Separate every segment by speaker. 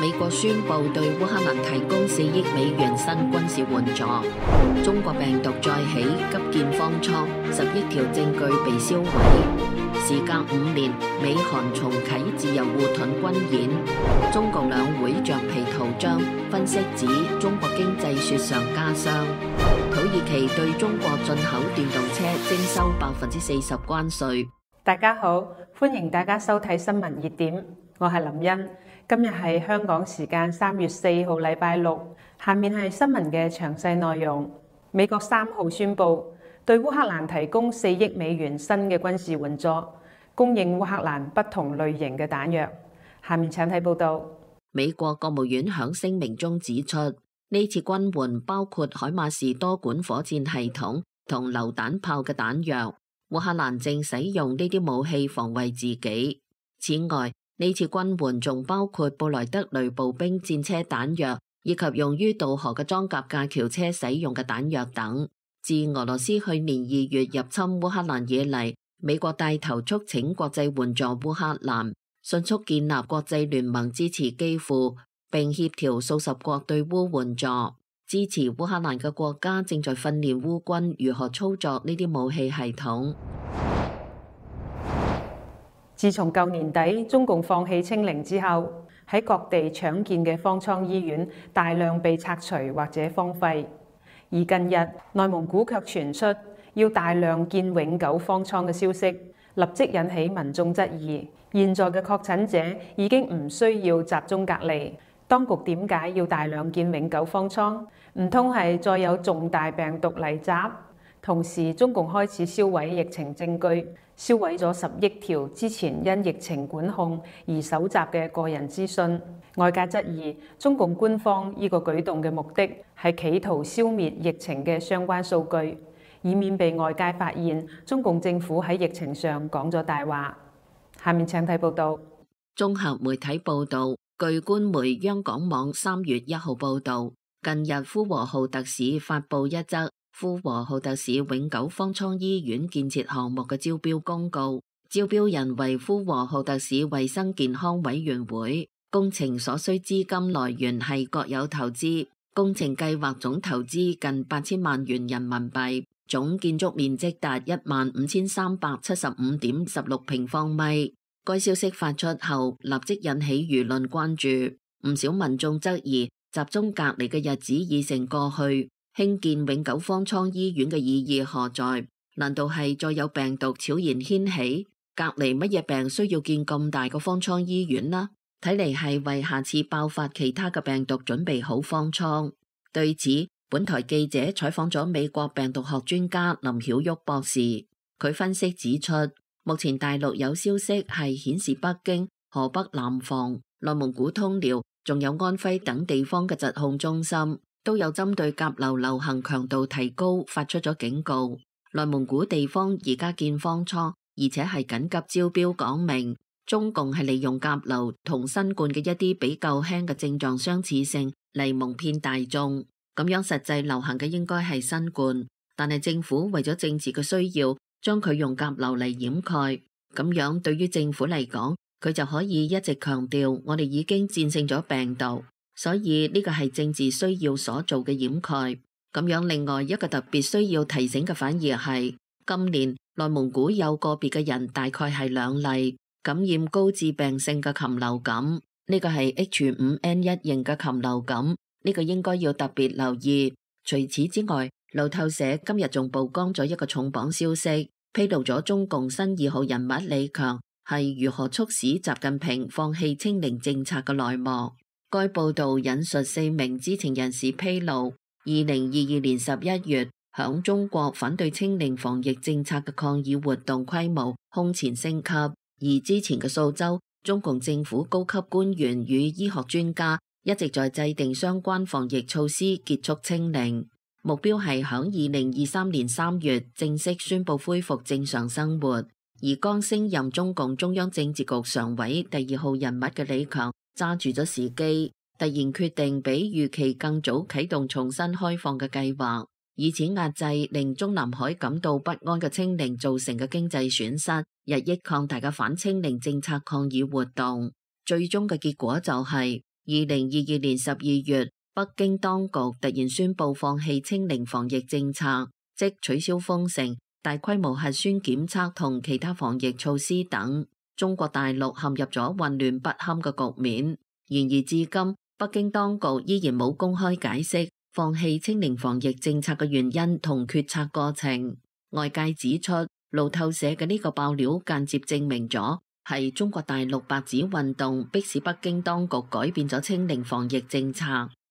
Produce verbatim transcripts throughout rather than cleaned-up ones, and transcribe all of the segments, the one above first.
Speaker 1: 美國宣布對烏克蘭提供四億美元新軍事援助。中國病毒再起，急見方艙，十億條證據被銷毀。時隔五年，美韓重啟自由護盾軍演。中共兩會橡皮圖章，分析指中國經濟雪上加霜。土耳其對中國進口電動車徵收百分之四十關稅。
Speaker 2: 大家好，歡迎大家收睇新聞熱點，我係林茵。今日係香港時間三月四號禮拜六，下面係新聞嘅詳細內容。美國三號宣布對烏克蘭提供四億美元新嘅軍事援助，供應烏克蘭不同類型嘅彈藥。下面請睇報道。
Speaker 1: 美國國務院響聲明中指出，呢次軍援包括海馬士多管火箭系統同榴彈炮嘅彈藥。烏克蘭正使用呢啲武器防衛自己。此外，呢次軍援仲包括布萊德雷步兵戰車彈藥，以及用於渡河嘅裝甲架橋車使用嘅彈藥等。自俄羅斯去年二月入侵烏克蘭以嚟，美國帶頭促請國際援助烏克蘭，迅速建立國際聯盟支持基輔，並協調數十國對烏援助。支持烏克蘭嘅國家正在訓練烏軍如何操作呢啲武器系統。
Speaker 2: 自從舊年底中共放棄清零之後，喺各地搶建嘅方艙醫院大量被拆除或者荒廢。而近日內蒙古卻傳出要大量建永久方艙嘅消息，立即引起民眾質疑。現在嘅確診者已經唔需要集中隔離，當局點解要大量建永久方艙？唔通係再有重大病毒嚟襲？同時，中共開始銷毀疫情證據，銷毀咗十億條之前因疫情管控而搜集嘅個人資訊。外界質疑中共官方呢個舉動嘅目的係企圖消滅疫情嘅相關數據，以免被外界發現中共政府喺疫情上講咗大話。下面請睇報道。
Speaker 1: 綜合媒體報道，據官媒央廣網三月一號報道，近日呼和浩特市發布一則呼和浩特市永久方艙醫院建設項目嘅招標公告，招標人為呼和浩特市衛生健康委員會，工程所需資金來源係國有投資，工程計劃總投資近八千萬元人民幣，總建築面積達一萬五千三百七十五點十六平方米。該消息發出後，立即引起輿論關注，唔少民眾質疑集中隔離嘅日子已成過去。興建永久方艙醫院嘅意義何在？難道係再有病毒悄然掀起？隔離乜嘢病需要建咁大個方艙醫院啦？睇嚟係為下次爆發其他嘅病毒準備好方艙。對此，本台記者採訪咗美國病毒學專家林曉旭博士，佢分析指出，目前大陸有消息係顯示北京、河北南防、內蒙古通遼，仲有安徽等地方嘅疾控中心，都有針對甲流流行強度提高發出咗警告。內蒙古地方而家建方艙，而且係緊急招標，講明中共係利用甲流同新冠嘅一啲比較輕嘅症狀相似性嚟蒙騙大眾，咁樣實際流行嘅應該係新冠，但係政府為咗政治嘅需要，將佢用甲流嚟掩蓋。咁樣對於政府嚟講，佢就可以一直強調我哋已經戰勝咗病毒。所以呢個係政治需要所做嘅掩蓋。咁樣另外一個特別需要提醒嘅反而係，今年內蒙古有個別嘅人大概係兩例感染高致病性嘅禽流感，呢個係 H 五 N 一 型嘅禽流感，呢個應該要特別留意。除此之外，路透社今日仲曝光咗一個重磅消息，披露咗中共新二號人物李強係如何促使習近平放棄清零政策嘅內幕。該報道引述四名知情人士披露，二零二二年十一月，響中國反對清零防疫政策嘅抗議活動規模空前升級，而之前嘅數週，中共政府高級官員與醫學專家一直在制定相關防疫措施，結束清零，目標係響二零二三年三月正式宣布恢復正常生活。而剛升任中共中央政治局常委第二號人物嘅李強，揸住咗時機，突然決定比預期更早啟動重新開放嘅計劃，以此壓制令中南海感到不安嘅清零造成嘅經濟損失，日益擴大嘅反清零政策抗議活動。最終嘅結果就係二零二二年十二月，北京當局突然宣布放棄清零防疫政策，即取消封城、大規模核酸檢測同其他防疫措施等。中國大陸陷入咗混亂不堪嘅局面。然而至今，北京當局依然冇公開解釋放棄清零防疫政策嘅原因同決策過程。外界指出，路透社嘅呢個爆料間接證明咗係中國大陸白紙運動迫使北京當局改變咗清零防疫政策，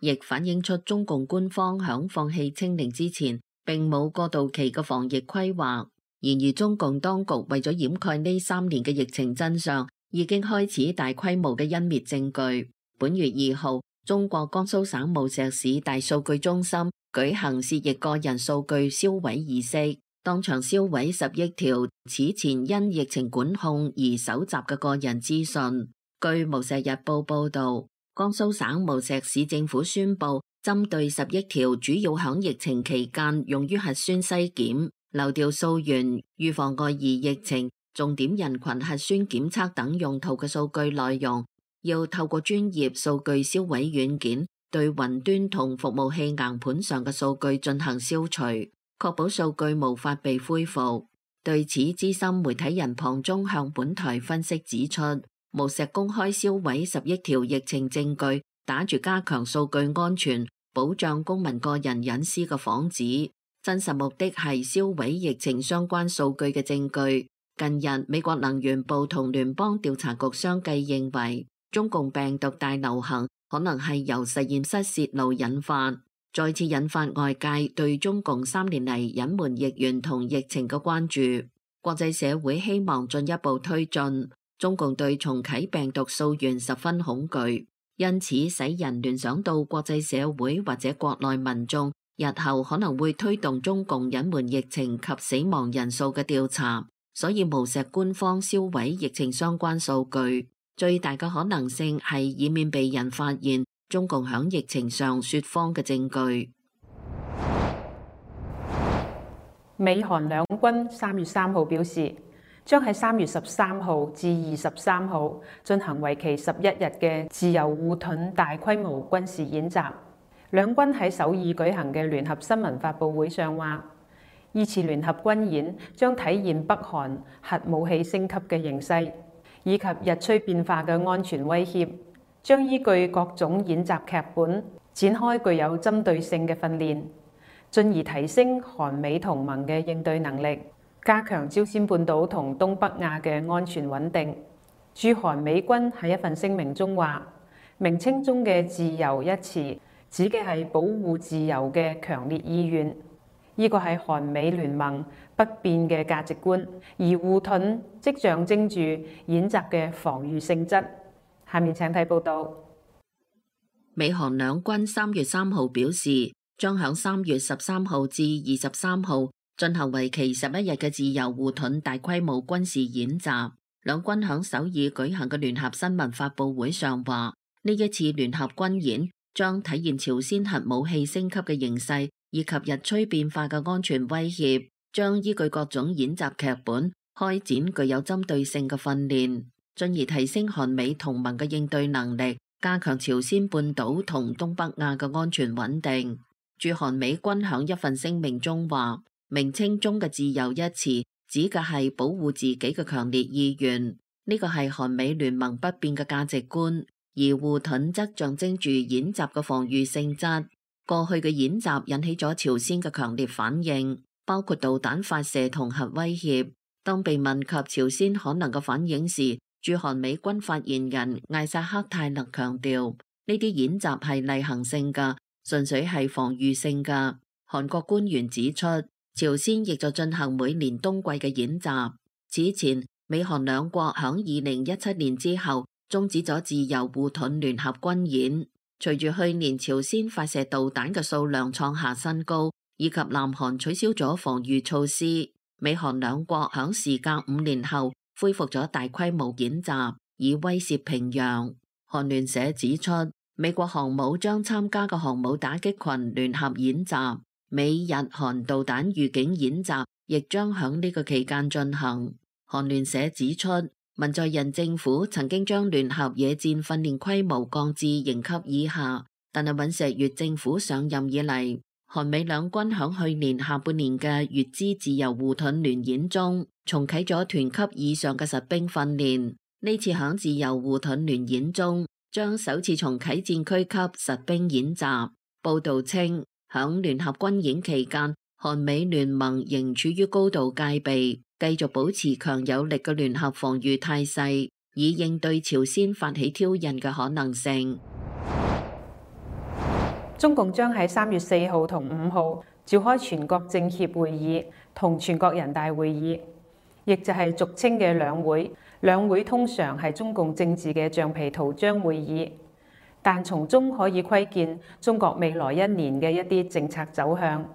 Speaker 1: 亦反映出中共官方響放棄清零之前並冇過渡期嘅防疫規劃。然而中共當局為咗掩蓋呢三年嘅疫情真相，已經開始大規模嘅湮滅證據。本月二號，中國江蘇省無錫市大數據中心舉行涉疫個人數據銷毀儀式，當場銷毀十億條此前因疫情管控而搜集嘅個人資訊。據無錫日報報道，江蘇省無錫市政府宣布，針對十億條主要響疫情期間用於核酸篩檢、流調溯源、預防外移疫情、重點人群核酸檢測等用途嘅數據內容，要透過專業數據銷毀軟件對雲端同服務器硬盤上嘅數據進行消除，確保數據無法被恢復。對此，資深媒體人龐中向本台分析指出，無錫公開銷毀十億條疫情證據，打住加強數據安全、保障公民個人隱私嘅幌子，真實目的係銷毀疫情相關數據嘅證據。近日，美國能源部同聯邦調查局相繼認為，中共病毒大流行可能係由實驗室洩露引發，再次引發外界對中共三年嚟隱瞞疫源同疫情嘅關注。國際社會希望進一步推進，中共對重啟病毒溯源十分恐懼，因此使人聯想到國際社會或者國內民眾日後可能會推動中共隱瞞疫情及死亡人數嘅調查，所以無錫官方銷毀疫情相關數據，最大嘅可能性係以免被人發現中共響疫情上說謊嘅證據。
Speaker 2: 美韓兩軍三月三號表示，將喺三月十三號至二十三號進行為期十一日嘅自由護盾大規模軍事演習。兩軍喺首爾舉行嘅聯合新聞發佈會上話，呢次聯合軍演將體現北韓核武器升級嘅形勢，以及日趨變化嘅安全威脅，將依據各種演習劇本展開具有針對性嘅訓練，進而提升韓美同盟嘅應對能力，加強朝鮮半島同東北亞嘅安全穩定。駐韓美軍喺一份聲明中話，名稱中嘅自由一詞指嘅係保護自由嘅強烈意願，呢個係韓美聯盟不變嘅價值觀，而護盾即象徵住演習嘅防禦性質。下面請睇報道。
Speaker 1: 美韓兩軍三月三號表示，將響三月十三號至二十三號進行為期十一日嘅自由護盾大規模軍事演習。兩軍響首爾舉行嘅聯合新聞發佈會上話，呢一次聯合軍演將體現朝鮮核武器升級嘅形勢，以及日趨變化嘅安全威脅，將依據各種演習劇本開展具有針對性嘅訓練，進而提升韓美同盟嘅應對能力，加強朝鮮半島同東北亞嘅安全穩定。駐韓美軍響一份聲明中話，名稱中嘅自由一詞指嘅係保護自己嘅強烈意願，呢個係韓美聯盟不變嘅價值觀。而護盾則象徵住演習嘅防禦性質。過去嘅演習引起咗朝鮮嘅強烈反應，包括導彈發射同核威脅。當被問及朝鮮可能嘅反應時，駐韓美軍發言人艾薩克泰勒強調，呢啲演習係例行性㗎，純粹係防禦性㗎。韓國官員指出，朝鮮亦在進行每年冬季嘅演習。此前，美韓兩國響二零一七年之後終止咗自由護盾聯合軍演。隨住去年朝鮮發射導彈嘅數量創下新高，以及南韓取消咗防禦措施，美韓兩國響時隔五年後恢復咗大規模演習，以威懾平壤。韓聯社指出，美國航母將參加嘅航母打擊群聯合演習，美日韓導彈預警演習亦將響呢個期間進行。韓聯社指出，文在寅政府曾經將聯合野戰訓練規模降至營級以下，但係尹錫悅政府上任以嚟，韓美兩軍響去年下半年嘅乙支自由護盾聯演中，重啟咗團級以上嘅實兵訓練。呢次響自由護盾聯演中，將首次重啟戰區級實兵演習。報道稱，響聯合軍演期間，韓美聯盟仍處於高度戒備，繼續保持強有力嘅聯合防禦態勢，以應對朝鮮發起挑釁嘅可能性。
Speaker 2: 中共將喺三月四號同五號召開全國政協會議同全國人大會議，亦就係俗稱嘅兩會。兩會通常係中共政治嘅橡皮圖章會議，但從中可以窺見中國未來一年嘅一啲政策走向。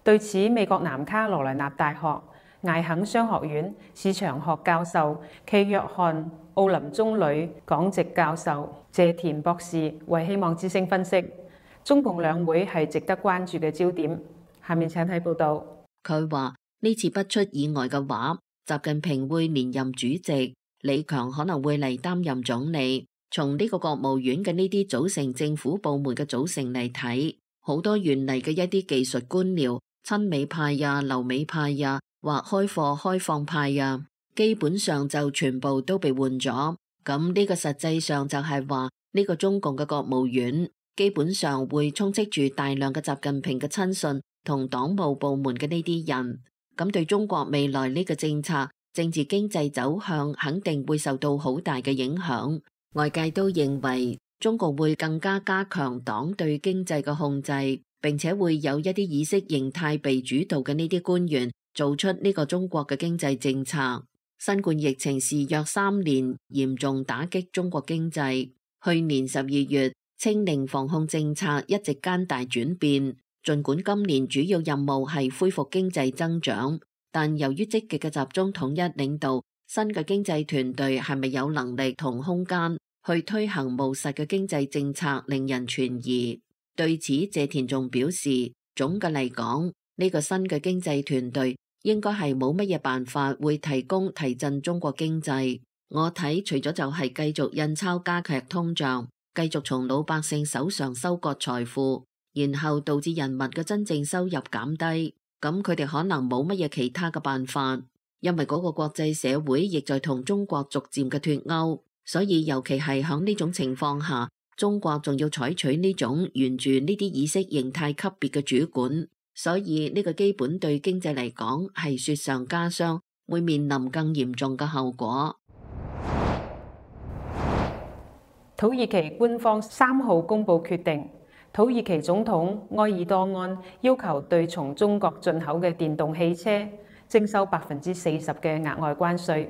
Speaker 2: 對此，美國南卡羅來納大學艾肯商學院市場學教授暨約翰奧林中旅講席教授謝田博士為希望之聲分析，中共兩會係值得關注嘅焦點。下面請睇報道。
Speaker 1: 佢話呢次不出意外嘅話，習近平會連任主席，李強可能會嚟擔任總理。從呢個國務院嘅呢啲組成政府部門嘅組成嚟睇，好多原嚟嘅一啲技術官僚、親美派呀、留美派呀，或開放開放派呀，基本上就全部都被換咗。咁呢個實際上就係話呢個中共嘅國務院基本上會充斥住大量嘅習近平嘅親信同黨務部門嘅呢啲人。咁對中國未來呢個政策、政治經濟走向肯定會受到好大嘅影響。外界都認為中共會更加加強黨對經濟嘅控制，並且會有一啲意識形態被主導嘅呢啲官員做出呢個中國嘅經濟政策。新冠疫情肆虐三年，嚴重打擊中國經濟。去年十二月，清零防控政策一直艱大轉變。儘管今年主要任務係恢復經濟增長，但由於積極嘅集中統一領導，新嘅經濟團隊係咪有能力同空間去推行務實嘅經濟政策，令人存疑。對此，謝田仲表示，總嘅嚟講，呢個新嘅經濟團隊應該係冇乜嘢辦法會提供提振中國經濟。我睇除咗就係繼續印鈔加劇通脹，繼續從老百姓手上收割財富，然後導致人民嘅真正收入減低，咁佢哋可能冇乜嘢其他嘅辦法。因為嗰個國際社會亦在同中國逐漸嘅脫鈎，所以尤其係響呢種情況下，中國仲要採取呢種沿住呢啲意識形態級別嘅主管，所以呢個基本對經濟嚟講係雪上加霜，會面臨更嚴重嘅後果。
Speaker 2: 土耳其官方三號公布決定，土耳其總統埃爾多安要求對從中國進口嘅電動汽車徵收百分之四十嘅額外關稅。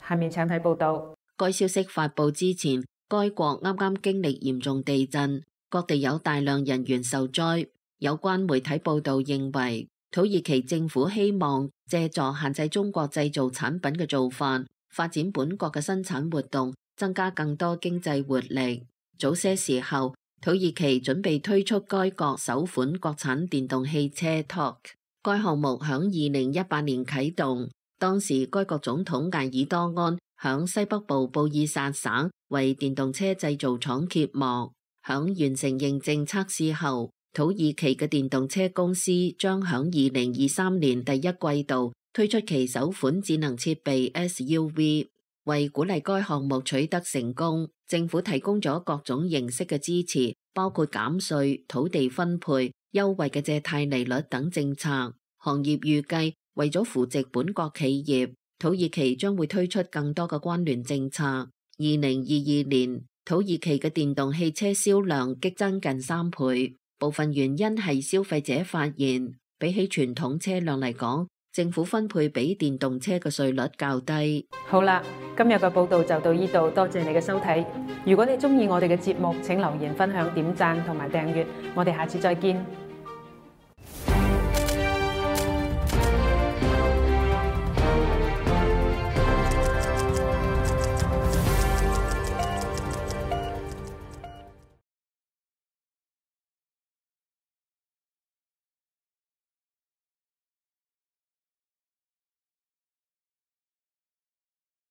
Speaker 2: 下面請睇報道。
Speaker 1: 該消息發佈之前，該國啱啱經歷嚴重地震，各地有大量人員受災。有關媒體報道認為，土耳其政府希望借助限制中國製造產品嘅做法，發展本國嘅生產活動，增加更多經濟活力。早些時候，土耳其準備推出該國首款國產電動汽車 T O K。該項目響二零一八年啟動，當時該國總統艾爾多安響西北部布爾薩省為電動車製造廠揭幕。響完成認證測試後，土耳其嘅電動車公司將響二零二三年第一季度推出其首款智能設備 S U V。為鼓勵該項目取得成功，政府提供咗各種形式嘅支持，包括減稅、土地分配、優惠嘅借貸利率等政策。行業預計為咗扶植本國企業，土耳其將會推出更多嘅關聯政策。二零二二年，土耳其嘅電動汽車銷量激增近三倍，部分原因係消費者發現，比起傳統車輛嚟講，政府分配俾電動車嘅稅率較低。
Speaker 2: 好啦，今日嘅報道就到呢度，多謝你嘅收睇。如果你中意我哋嘅節目，請留言分享、點讚同埋訂閱。我哋下次再見。